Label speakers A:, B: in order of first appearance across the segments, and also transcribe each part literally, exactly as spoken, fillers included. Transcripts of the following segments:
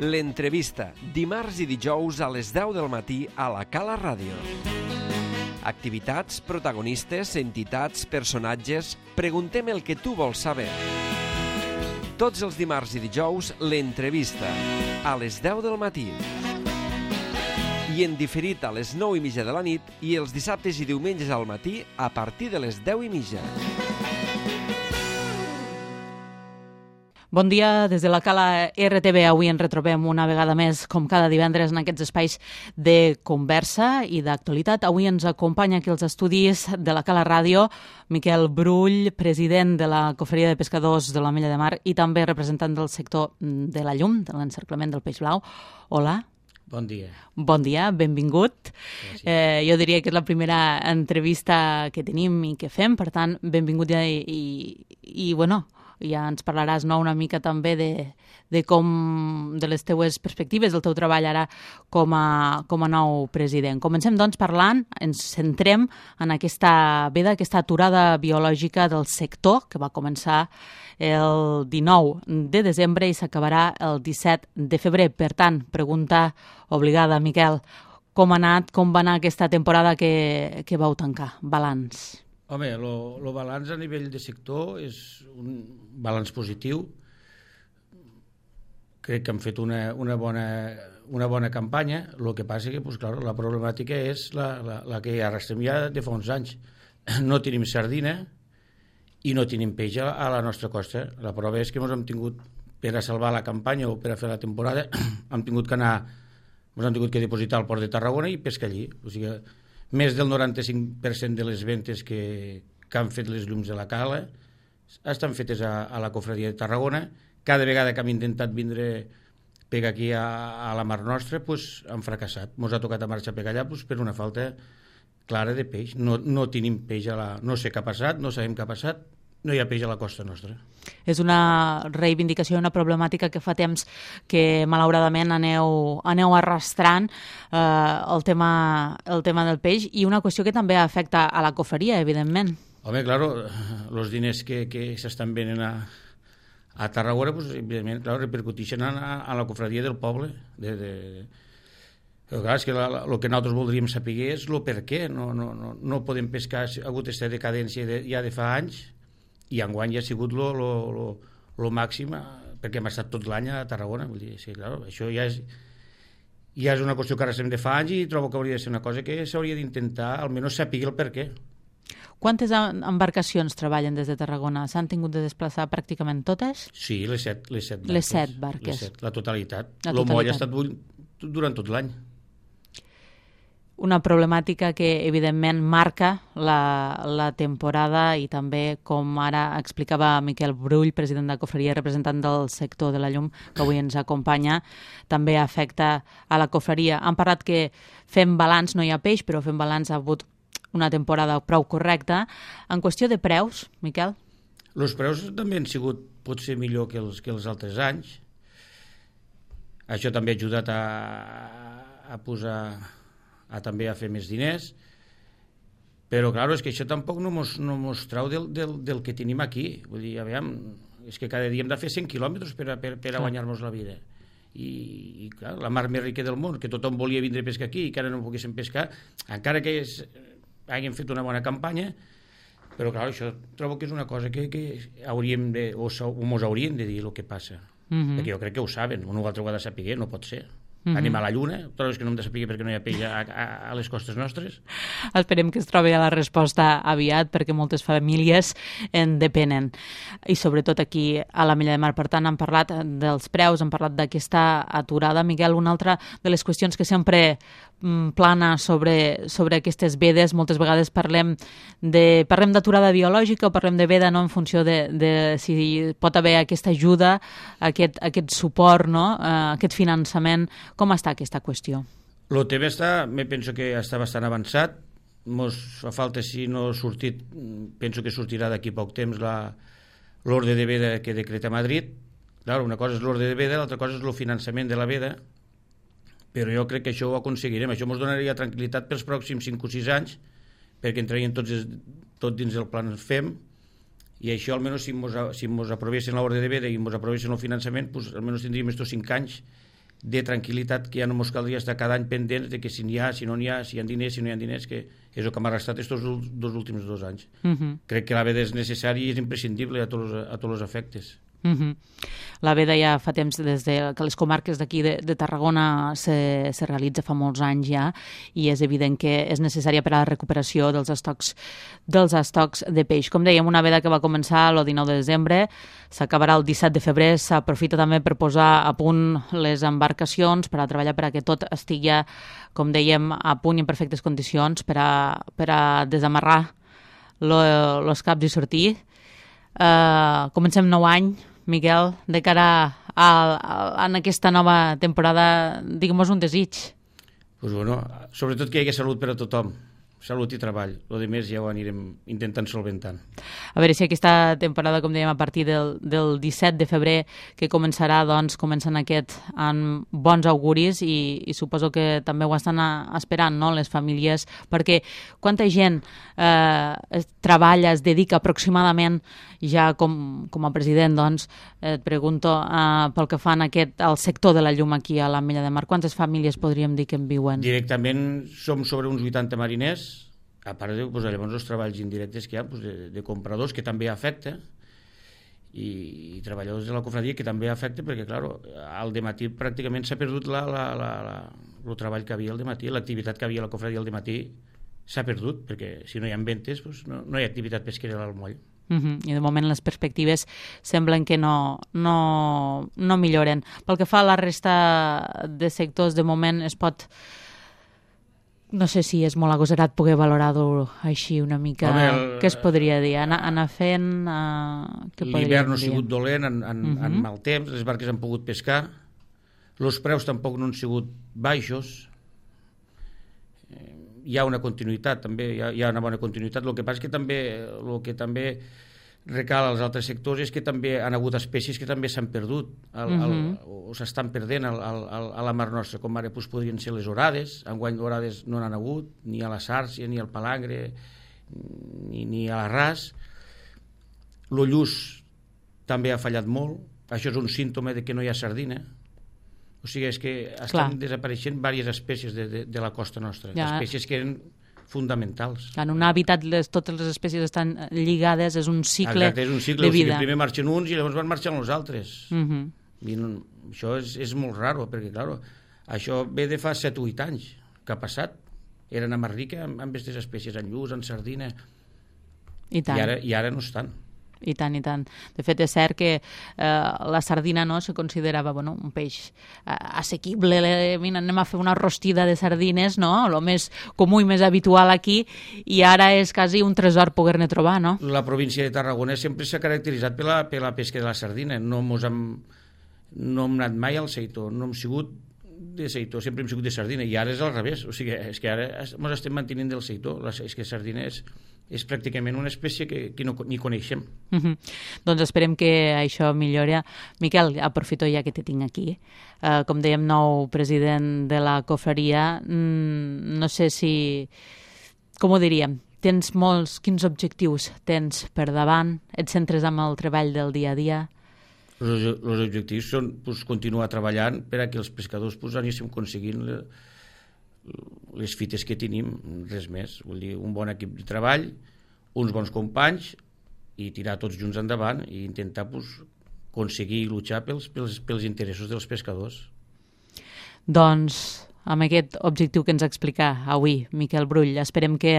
A: L'entrevista, dimarts i dijous a les deu del matí a la Cala Ràdio. Activitats, protagonistes, entitats, personatges... Preguntem el que tu vols saber. Tots els dimarts i dijous, l'entrevista, a les deu del matí. I en diferit a les nou i mitja de la nit i els dissabtes i diumenges al matí a partir de les deu i mitja.
B: Bon dia, des de la Cala R T V. Avui ens retrobem una vegada més, com cada divendres, en aquests espais de conversa i d'actualitat. Avui ens acompanya aquí als estudis de la Cala Ràdio Miquel Brull, president de la Cofreria de Pescadors de l'Ametlla de Mar i també representant del sector de la llum, de l'encerclament del peix blau. Hola.
C: Bon dia.
B: Bon dia, benvingut. Eh, jo diria que és la primera entrevista que tenim i que fem, per tant, benvingut ja i, i, i bueno... ja ens parlaràs no, una mica també de, de com, de les teues perspectives, del teu treball ara com a, com a nou president. Comencem, doncs, parlant, ens centrem en aquesta veda, aquesta aturada biològica del sector, que va començar el dinou de desembre i s'acabarà el disset de febrer. Per tant, pregunta obligada, Miquel, com ha anat, com va anar aquesta temporada que, que vau tancar? Balanç.
C: Home, el balanç a nivell de sector és un balanç positiu. Crec que han fet una, una, bona, una bona campanya. El que passa que pues, claro, la problemàtica és la, la, la que arrastrem ja de fa uns anys. No tenim sardina i no tenim peix a, a la nostra costa. La prova és que ens hem tingut, per a salvar la campanya o per a fer la temporada, hem tingut que anar, ens hem tingut que depositar al port de Tarragona i pescar allí. O sigui, més del noranta-cinc per cent de les ventes que, que han fet les llums de la Cala estan fetes a, a la Cofreria de Tarragona. Cada vegada que hem intentat vindre pegar aquí a, a la Mar Nostra, pues, han fracassat. Ens ha tocat a marxar a pegar allà pues, per una falta clara de peix. No, no tenim peix a la... No sé què ha passat, no sabem què ha passat, no hi ha peix a la costa nostra.
B: És una reivindicació, una problemàtica que fa temps que malauradament aneu, aneu arrastrant eh, el, tema, el tema del peix i una qüestió que també afecta a la cofreria, evidentment.
C: Home, claro, els diners que, que s'estan venent a, a Tarragona, pues, evidentment, claro, repercuteixen a, a la cofreria del poble. De, de... Però clar, és que el que nosaltres voldríem saber és el per què. No, no, no, no podem pescar, ha hagut aquesta decadència de, ja de fa anys, i enguany ja ha sigut lo, lo, lo, lo màxim perquè hem estat tot l'any a Tarragona. Vull dir, sí, clar, això ja és, ja és una qüestió que ara estem de fa anys i trobo que hauria de ser una cosa que s'hauria d'intentar almenys saber el per què.
B: Quantes embarcacions treballen des de Tarragona? S'han tingut de desplaçar pràcticament totes?
C: Sí, les set, les set barques.
B: Les set barques.
C: Les set, la totalitat.
B: La
C: totalitat. El moll ha estat bull durant tot l'any. Una
B: problemàtica que, evidentment, marca la, la temporada i també, com ara explicava Miquel Brull, president de Cofreria i representant del sector de la llum, que avui ens acompanya, també afecta a la cofreria. Han parlat que fem balanç, no hi ha peix, però fem balanç ha hagut una temporada prou correcta. En qüestió de preus, Miquel?
C: Els preus també han sigut potser millor que els, que els altres anys. Això també ha ajudat a, a posar... a també a fer més diners, però clar, és que això tampoc no mos, no mos trau del, del, del que tenim aquí. Vull dir, aviam, és que cada dia hem de fer cent quilòmetres per a, per, per a guanyar-nos la vida. I, i clar, la mar més rica del món, que tothom volia vindre a pescar aquí i que ara no poguéssim pescar, encara que és, haguem fet una bona campanya, però clar, això trobo que és una cosa que, que hauríem de, o, o mos hauríem de dir el que passa. Mm-hmm. Perquè jo crec que ho saben, una altra vegada saber, no pot ser. Mm-hmm. Anem a la lluna, trobes que no hem de saber perquè no hi ha peix a, a, a les costes nostres?
B: Esperem que es trobi la resposta aviat perquè moltes famílies en depenen i sobretot aquí a l'Ametlla de Mar. Per tant, han parlat dels preus, han parlat d'aquesta aturada. Miquel, una altra de les qüestions que sempre mm, plana sobre, sobre aquestes vedes, moltes vegades parlem de parlem d'aturada biològica o parlem de veda no, en funció de, de si pot haver aquesta ajuda, aquest, aquest suport, no? uh, aquest finançament. Com està aquesta qüestió?
C: El tema està, me penso que està bastant avançat. Mos fa falta, si no ha sortit, penso que sortirà d'aquí poc temps l'ordre de veda que decreta Madrid. Clar, una cosa és l'ordre de veda, l'altra cosa és el finançament de la veda, però jo crec que això ho aconseguirem. Això ens donaria tranquil·litat pels pròxims cinc o sis anys, perquè entrarien tots, tot dins del plan FEM, i això almenys si mos, si mos aprovessin l'ordre de veda i mos aprovessin el finançament, pues, almenys tindríem estos cinc anys de tranquil·litat, que ja no ens caldria estar cada any pendents de que si n'hi ha, si no n'hi ha, si hi ha diners, si no hi ha diners, que és el que m'ha restat estos dos últims dos anys. Uh-huh. Crec que la veda és necessària i és imprescindible a tots a tots els efectes.
B: Uh-huh. La veda ja fa temps des de que les comarques d'aquí de, de Tarragona se, se realitza fa molts anys ja, i és evident que és necessària per a la recuperació dels estocs, dels estocs de peix. Com dèiem, una veda que va començar el dinou de desembre, s'acabarà el disset de febrer, s'aprofita també per posar a punt les embarcacions, per a treballar per a que tot estigui, com dèiem, a punt i en perfectes condicions per a, per a desamarrar els caps i sortir. Uh, comencem nou any, Miquel, de cara a, a, a aquesta nova temporada, diguem-nos un desig.
C: Pues bueno, sobretot que hi hagi salut per a tothom, salut i treball. Lo de més ja ho anirem intentant solventant.
B: A veure si aquesta temporada, com dèiem, a partir del, del disset de febrer que començarà, doncs comencen aquest amb bons auguris i, i suposo que també ho estan a, esperant, no?, les famílies, perquè quanta gent eh, treballa, es dedica aproximadament, ja com, com a president, doncs, et pregunto, eh, pel que fan aquest, al sector de la llum aquí a l'Ametlla de Mar, quantes famílies podríem dir que en viuen?
C: Directament som sobre uns vuitanta mariners, a part de pues, llavors els treballs indirectes que hi ha pues, de, de compradors, que també afecta, i, i treballadors de la cofradia, que també afecta, perquè, clar, al dematí pràcticament s'ha perdut la, la, la, la, el treball que havia al dematí, l'activitat que havia a la cofradia al dematí s'ha perdut, perquè si no hi ha ventes pues, no, no hi ha activitat pesquera al moll.
B: Uh-huh. I de moment les perspectives semblen que no, no, no milloren. Pel que fa a la resta de sectors, de moment es pot... No sé si és molt agosarat poder valorar-ho així una mica. Home, el... Què es podria dir? Anar, anar fent... Uh,
C: l'hivern no ha sigut dolent, en, en, uh-huh. en mal temps, les barques han pogut pescar, els preus tampoc no han sigut baixos, hi ha una continuïtat, també hi ha, hi ha una bona continuïtat. El que passa és que també, el que també recala als altres sectors és que també han hagut espècies que també s'han perdut al, uh-huh. al, o s'estan perdent al, al, a la mar nostra, com ara pues, podrien ser les orades. Enguany orades no n'han hagut, ni a la sàrcia, ni al palangre, ni, ni a l'arràs. El lluç també ha fallat molt, això és un símptoma de que no hi ha sardina. O sigui, és que estan Clar. desapareixent diverses espècies de, de, de la costa nostra, ja. espècies que eren fonamentals.
B: En un hàbitat les, totes les espècies estan lligades, és un cicle,
C: Exacte, és un cicle
B: de vida.
C: O sigui, primer marxen uns i llavors van marxant els altres.
B: Uh-huh.
C: I no, això és, és molt raro, perquè clar, això ve de fa set o vuit anys que ha passat. Eren a Mar Rica amb, amb aquestes espècies, en lluç, en sardina,
B: I, tant.
C: I, ara, i ara no estan.
B: I tant, i tant. De fet, és cert que eh, la sardina no se considerava bueno, un peix eh, assequible. Mira, anem a fer una rostida de sardines, no? El més comú i més habitual aquí, i ara és quasi un tresor poder-ne trobar, no?
C: La província de Tarragona sempre s'ha caracteritzat per la, per la pesca de la sardina. No mos hem, no hem anat mai al seitó, no hem sigut de seitó, sempre hem sigut de sardina, i ara és al revés. O sigui, és que ara ens estem mantenint del seitó. És que sardina és... és pràcticament una espècie que, que no, ni coneixem.
B: Uh-huh. Doncs esperem que això millori. Miquel, aprofito ja que te tinc aquí. Uh, com dèiem, nou president de la cofraria. Mm, no sé si... Com ho diríem? Tens molts... Quins objectius tens per davant? Et centres amb el treball del dia a dia?
C: Els, els objectius són pues, continuar treballant per a que els pescadors pues, anéssim aconseguint... Le... les fites que tenim, res més. Vull dir, un bon equip de treball, uns bons companys i tirar tots junts endavant i intentar pues, aconseguir luchar pels, pels, pels interessos dels pescadors.
B: Doncs amb aquest objectiu que ens explica avui Miquel Brull, esperem que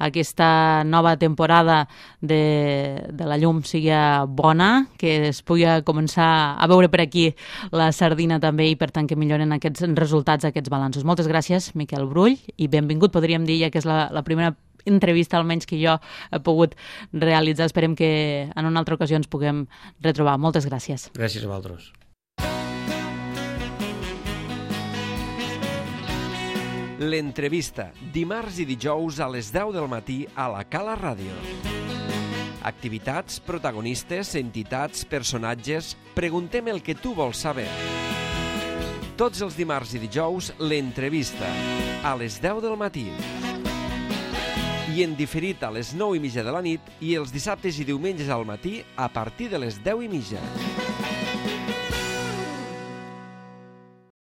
B: aquesta nova temporada de, de la llum sigui bona, que es pugui començar a veure per aquí la sardina també i per tant que milloren aquests resultats, aquests balanços. Moltes gràcies, Miquel Brull, i benvingut, podríem dir, ja que és la, la primera entrevista almenys que jo he pogut realitzar. Esperem que en una altra ocasió ens puguem retrobar. Moltes gràcies.
C: Gràcies a vosaltres.
A: L'entrevista, dimarts i dijous a les deu del matí a la Cala Ràdio. Activitats, protagonistes, entitats, personatges... Preguntem el que tu vols saber. Tots els dimarts i dijous, l'entrevista, a les deu del matí. I en diferit a les nou i mitja de la nit i els dissabtes i diumenges al matí a partir de les deu i mitja.